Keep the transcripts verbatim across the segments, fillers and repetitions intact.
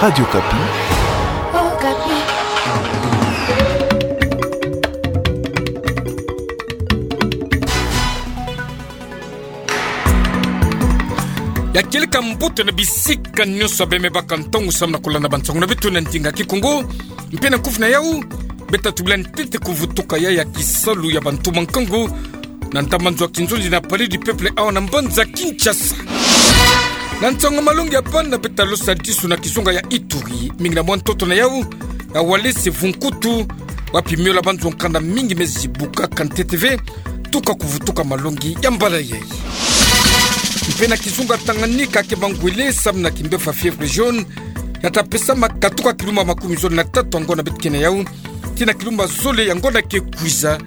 Radio Okapi. Okapi. Ya kieleka mbote na bisika nyonso beme baka ntangu samu na kolanda bansango na beto na ndinga Kikongo. Mpe na kufi na yau, beta tubila ntete kuvutuka ya ya kisalu ya bantuma nkangu na ntama nzo ya kinzonzi na Palais du Peuple awa na mbanza Kinshasa. Na nsangu malongi ya bana, beta losa disu na kizunga ya Ituri, mingi na mwa ntoto na yau, ya Walese Vunkutu, wapi miola banzo nkanda mingi mezi bukaka ntete ve, tuka kuvutuka malongi ya mbala yai. Mpe na kizunga Tanganyika, ke bangwele samu na kimbefa fièvre jaune, ya ta pesama katuka kilumba makumi zole na tatu ya ngonda beto ke na yau, tii na kilumba zole ya ngonda ke kwiza.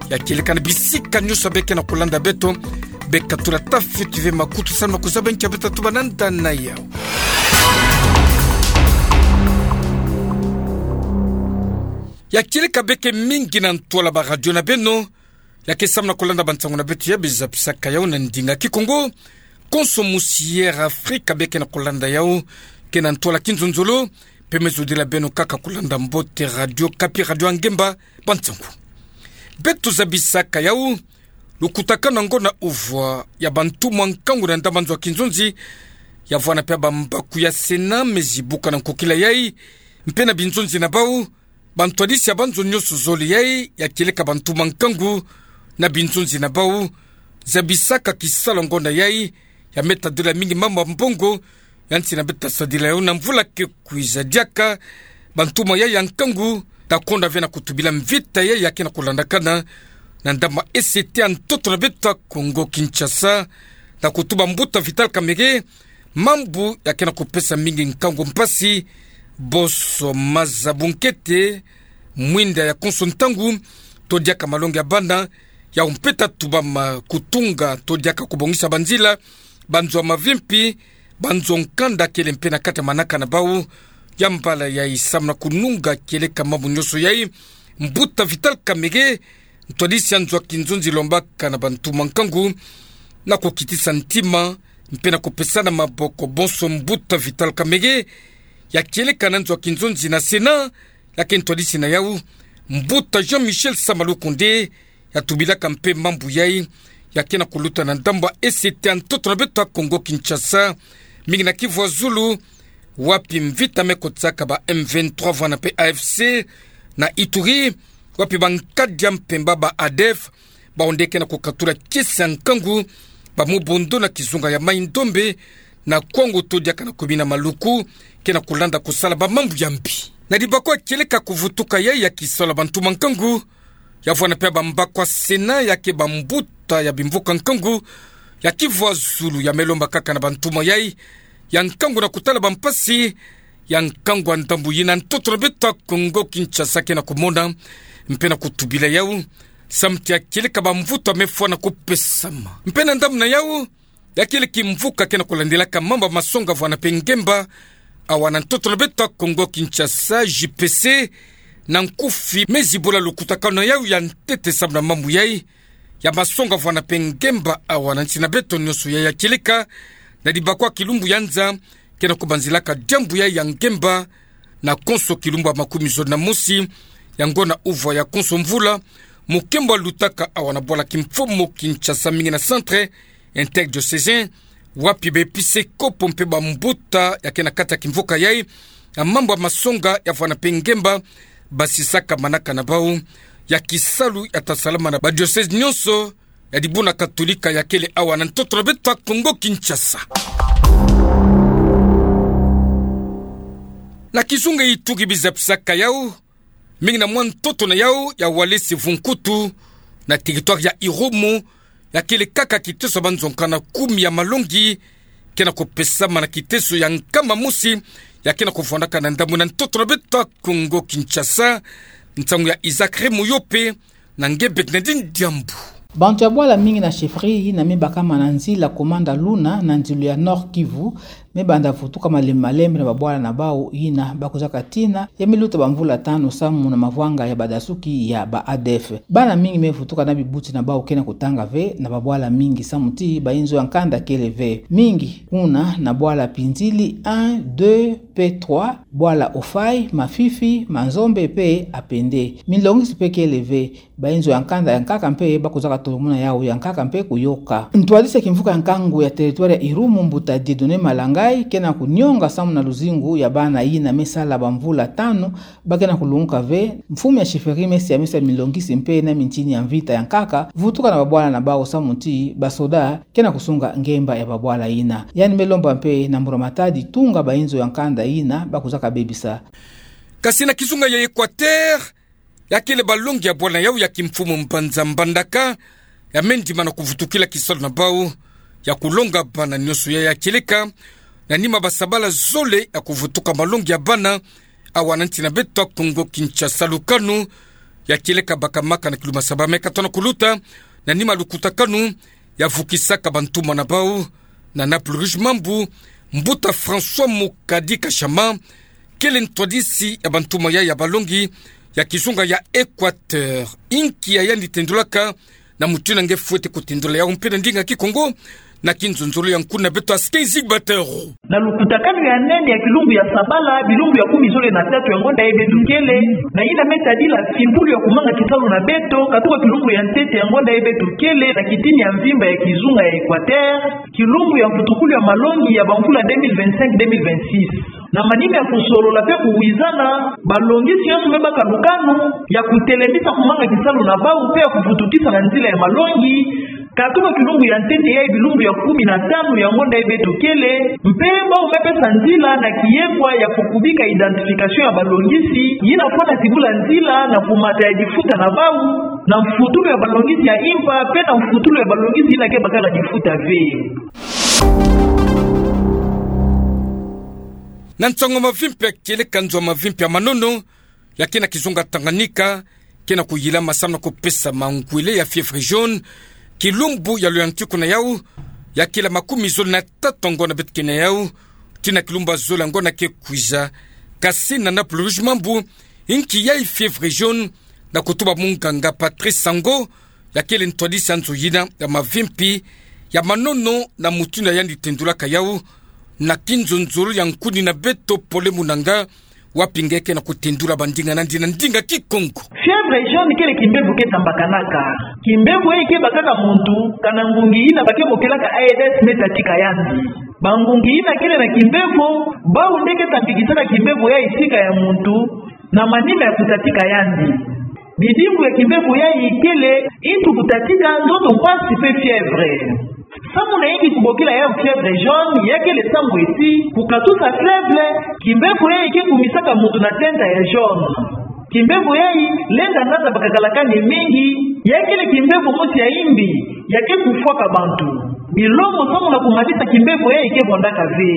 Ya kieleka na bisika nyonso beke na kolanda beto, beka tula tafi tuve makutu samu na kuzaba nki ya beta tuba na nda na yau. Ya kieleka beke mingi na ntwala ba radio na beno, ya ke samu na kolanda bansango na beto ya biza pisaka yau na ndinga Kikongo. Konso musi Air Afrique beke na kolanda yau, ke na ntwala kinzonzolo, mpe me zodila beno kaka kolanda mbote Radio Okapi, radio ya ngemba, bansango. Beto zabisaka yau, lukutakanu na ngonda uvwa ya bantuma nkangu na ntama nzo ya kinzonzi, ya vwanda mpe bambaku ya Sénat mezi buka na nkokila yai, mpe na binzonzi na bau, bantwadisi ya banzo nyonso zole yai, ya kieleka bantuma nkangu na binzonzi na bau, zabisaka kisalu ya ngonda yai, ya meta dola mingi mambu ya mbongo, ya nsi na beta sadila yau na mvula ke kwiza diaka, bantuma yai ya nkangu, ta konda ve na kutubila mvita yai ya ke na kolandakana na ndama S T ya ntoto na beto ya Kongo Kinshasa, na kutuba mbuta Vital Kamerhe, mambu ya ke na kupesa mingi nkangu mpasi, bonso maza, bunkete, mwinda ya konso ntangu, to diaka malongi ya bana, yau mpe ta tubama kutunga, to diaka kubongisa banzila, banzo ya mavimpi, banzo nkanda kele mpe na kati ya manaka na bau. Ya mbala yai samu na kununga kieleka mambu nyonso yai, mbuta Vital Kamerhe, ntwadisi ya nzo ya kinzonzi, lombaka na bantuma nkangu na kukitisa ntima, mpe na kupesana maboko. Bonso mbuta Vital Kamerhe, ya kieleka na nzo ya kinzonzi na Sénat, ya ke ntwadisi na yau, mbuta Jean-Michel Sama Lukonde, ya tubilaka mpe mambu yai, ya ke na kuluta na ndambu ya S T ya ntoto na beto ya Kongo Kinshasa, mingi na Kivu ya zulu, wapi mvita me kotisaka ba M vingt-trois vwanda mpe A F C, na Ituri, wapi bankadi ya mpemba ba ADF, bawu nde ke na kukatula kiese ya nkangu, ba Mobondo na kizunga ya Mai-Ndombe, na Kwango to diaka na commune ya Maluku, ke na kulanda kusala bamambu ya mbi. Na dibako ya kieleka kuvutuka yai ya kisalu ya bantuma nkangu, ya vwanda mpe bambaku ya Sénat, ya ke bambuta ya bimvuka nkangu ya Kivu ya zulu, ya me lomba kaka na bantuma yai ya nkangu na kutala bampasi ya nkangu ya ndambu yina ntoto na beto ya Kongo Kinshasa ke na kumona, mpe na kutubila yau, samu ti ya kieleka bamvutu ya me fwana kupesama. Mpe na ndambu na yau, ya kieleka mvuka ke na kulandilaka mambu ya masonga vwanda mpe ngemba awa na ntoto na beto ya Kongo Kinshasa, J P C, na nkufi me zibola lukutakanu na yau ya ntete samu na mambu yai ya masonga vwanda mpe ngemba awa na nsi na beto nyonso yai. Ya kieleka na dibako ya kilumbu ya nza, ke na kubanzilaka diambu yai ya ngemba na konso kilumbu ya makumi zole na mosi ya ngonda uvwa ya konso mvula, mukembo ya lutaka awa na bwala kimfumu Kinshasa, mingi na centre interdiocésain, wapi baepiskopo mpe bambuta ya ke na kati ya kimvuka yai ya mambu ya masonga ya vwanda mpe ngemba, basisaka manaka na bau ya kisalu ya ta salama na badiocèse nyonso ya dibundu katolika ya kele awa na ntoto na beto ya Kongo Kinshasa. Na kizunga Ituri biza pisaka yau, mingi na mwa ntoto na yau ya Walese Vunkutu, na territoire ya Irumu, ya kele kaka kiteso ya banzo nkanda kumi ya malongi ke na kupesama na kiteso ya nkama mosi ya ke na kuvwandaka na ndambu na ntoto na beto ya Kongo Kinshasa. Nsangu ya Isaac Remoyope, na nge Bernardine Diambu. Bantu ya bwala mingi na chefferie yina me bakama na nzila Komanda Luna na nzilo ya Nord-Kivu, me banda vutuka malembe malembe na babwala na bau yina bakuzaka tina ya me luta bamvula tanu samu na mavwanga ya badasuki ya ba A D F. Bana mingi me vutuka na bibuti na bau ke na kutanga ve na babwala mingi samu ti bayinzo ya nkanda kele ve. Mingi kuna na bwala Pinzili un, deux pe trois, bwala Ofai, Mafifi, Manzombe pe Apende. Milongisi pe kele ve. Bayinzo ya nkanda ya nkaka mpe bakuzaka tolomona yau ya nkaka mpe kuyoka. Ntwadisi ya kimvuka ya nkangu ya territoire ya Irumu, Mbuta Dieudonné Malangai, ke na kunionga samu na luzingu ya bana yina me sala bamvula tanu ba ke na kulunguka ve. Mfumu ya chefferie me sia me sia milongisi mpe na mintini ya mvita ya nkaka vutuka na babwala na bau samu ti basoda ke na kusunga ngemba ya babwala yina. Yandi me lomba mpe na Mbura Matadi tunga bayinzo ya nkanda yina bakuzaka bebisa. Kasi na kizunga ya Equateur, ya kele balongi ya bwala yau ya kimfumu Mbanza Mbandaka, ya me ndima na kuvutukila kisalu na bau ya kulonga bana. Nionso ya ya kieleka na nima basabala zole ya kuvutuka malongi ya bana, awa na nti na beto ya Kongo Kinshasa. Lukanu ya kieleka bakamaka na kiluma saba me katona kuluta na nima lukutakanu ya vukisaka bantuma na bau na Naples Rouge Mambu, Mbuta François Mukadi Kashama, kele ntwadisi ya bantuma ya ya balongi ya kizunga ya Equateur. Inki ya yandi tendulaka na mutindu nge fwete kutendula yau mpe na ndinga Kikongo, na kinzonzolo ya nkuna beto Askey Zigbatero. Na lukutakanu ya nene ya kilumbu ya sabala, bilumbu ya kumi zole na tatu ya ngonda ya beto kele, na yina me tadila fimbulu ya kumanga kisalu na beto, katuka kilumbu ya ntete ya ngonda ya beto kele, na kitini ya mvimba ya kizunga ya Equateur, kilumbu ya mvutukulu ya malongi ya bamvula deux mille vingt-cinq deux mille vingt-six. Na manima ya kusolola mpe kuwizana, balongisi yonso me baka lukanu ya kutelemisa kumanga kisalu na bau mpe ya kuvutukisa na nzila ya malongi, katuka kilumbu ya ntete ya bilumbu ya kumi na tanu ya ngonda ya beto kele, mpe bau me pesa nzila na kiyekwa ya kukubika identification ya balongisi, yina fwana tibula nzila na kumata ya difuta na bau, na mfutulu ya balongisi ya impa, mpe na mfutulu ya balongisi yina ke baka na difuta ve. Na nsangu mavimpi ya kieleka, nzo mavimpi ya manono ya ke na kizunga Tanganyika ke na kuyilama samu na kupesa mangwele ya fièvre jaune. Kilumbu ya luyantiku na yau ya kila makumi zole na tatu ya ngonda beto ke na yau, tii na kilumbu ya zole ya ngonda ke kwiza. Kasi na Naples Rouge Mambu, inki ya fièvre jaune, na kutuba munganga Patrice Sango, ya kele ntwadisi ya nzo yina ya mavimpi ya manono, na mutindu ya yandi tendulaka yau, na kinzonzolo ya nkuni na beto Pole Munanga, wapi nge ke na kutendula bandinga nandi na ndinga Kikongo. Fièvre jaune kele kimbevo ke tambakanaka. Kimbevo yayi ke baka na muntu, kana ngungi yina ba ke bokelaka Aedes me tatika yandi. Bangungi yina kele na kimbevo, bau nde ke tambikisaka kimbevo yayi sika ya muntu, na manima ya kutatika yandi. Bidimbu ya kimbevo yayi kele intu kutatika, ndoto mpasi mpe fièvre. Samu na inki kubokila yau fièvre jaune, ya kele samu ti, kukatusa fièvre, kimbevo yayi ke kumisaka muntu na tenta ya jaune. Kimbevo yayi lenda ngata bakakalakani mingi, ya kele kimbevo mosi ya imbi, ya ke kufwaka bantu. Bilongo samu na kumanisa kimbevo yayi ke vondaka ve.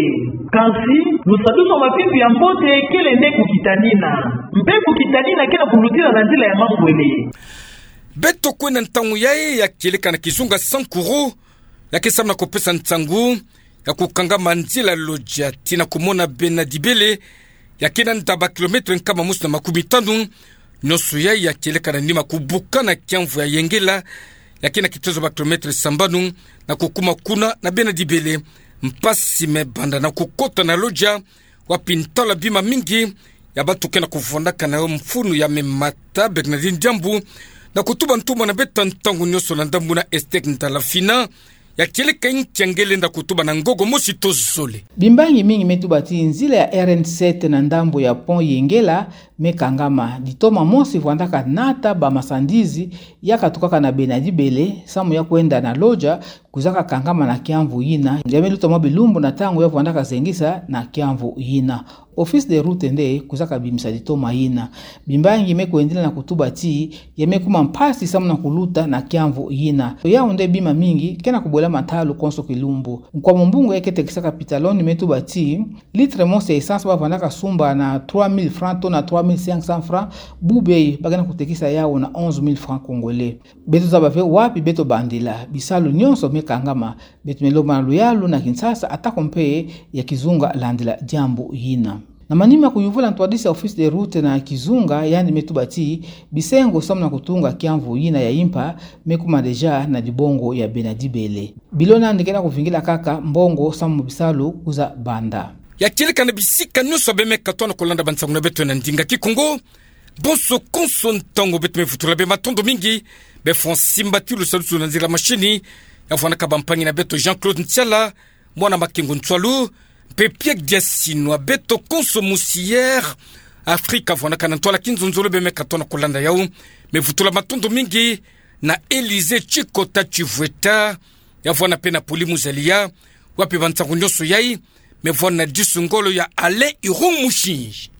Kansi, lusadusu mavimpi ya mbote kele nde kukitanina. Mpe kukitanina ke na kulutila na nzila ya mangwele. Beto kwenda ntangu yayi ya kieleka na kizunga Sankuru, ya ke samu na kupesa nsangu ya kukangama nzila Lodja tii na kumona Bena Dibele, ya ke na nda ba kilomètre nkama mosi na makumi tanu. Nionso yayi ya kieleka na nima kubuka na kiamvu ya Yengela, ya ke na kitezo ba kilomètre sambanu, na kukuma kuna na Bena Dibele. Mpasi me banda na kukota na Lodja, wapi ntalu ya bima mingi ya bantu ke na kuvondaka na yo mfunu ya me mata. Bernardine Diambu, na kutuba ntuma na beto ntangu nionso na ndambu na Esther Ndalafina, ya kieleka inki nge lenda kutuba na ngogo mosi to zole. Bimbangi mingi me tuba ti nzila ya R N sept na ndambu ya pont Yengela me kangama. Ditoma mosi vwandaka nata ba masandizi ya katukaka na Bena Dibele samu ya kwenda na Lodja, kwizaka kangama na kiamvu yina. Ya me luta mwa bilumbu na ntangu ya vwandaka zengisa na kiamvu yina. Office des routes nde kwizaka bimisa ditoma yina. Bimbangi me kwendila na kutuba ti ya me kuma mpasi samu na kuluta na kiamvu yina. Yau nde bima mingi ke na kubwela matalu konso kilumbu. Nkwamu mbungu ya ke tekisaka pitaloni me tuba ti litre mosi ya essence ba vwandaka sumba na trois mille francs to na trois mille cinq cents francs, bubu bayi ba ke na kutekisa yawu na onze mille francs congolais. Beto zaba ve wapi beto bandila bisalu nyonso me kangama. Beto me lomba na luyalu na Kinshasa, atako mpe ya kizunga landila diambu yina. Na manima kuyuvula ntwadisi ya Office des Routes na kizunga, yandi me tuba ti bisengo samu na kutunga kiamvu yina ya impa me kuma déjà na dibongo ya bena dibele. Bilo nandi ke na kuvingila kaka mbongo samu bisalu kwiza banda. Ya kieleka na bisika nyonso bie me katono kolanda bansangu na beto na ndinga Kikongo. Bonso konso ntangu beto me vutula bie matondo mingi. Bie fwa nsimbatilu salusu na nzila mashini ya vwanaka bampangi na beto Jean-Claude Ntiala, mwana Makengo Ntwalu, mpe Pierre Diasinwa, beto konso musi Air Afrique vwanaka na ntwala kinzonzolo bie me katono kolanda yawu. Me vutula matondo mingi na Elysée Chikota Chivweta, ya vwana mpe na Poli Muzalia, wapi bansangu nyonso yayi me vwana na disu ngolo ya Alain Irung Mushi.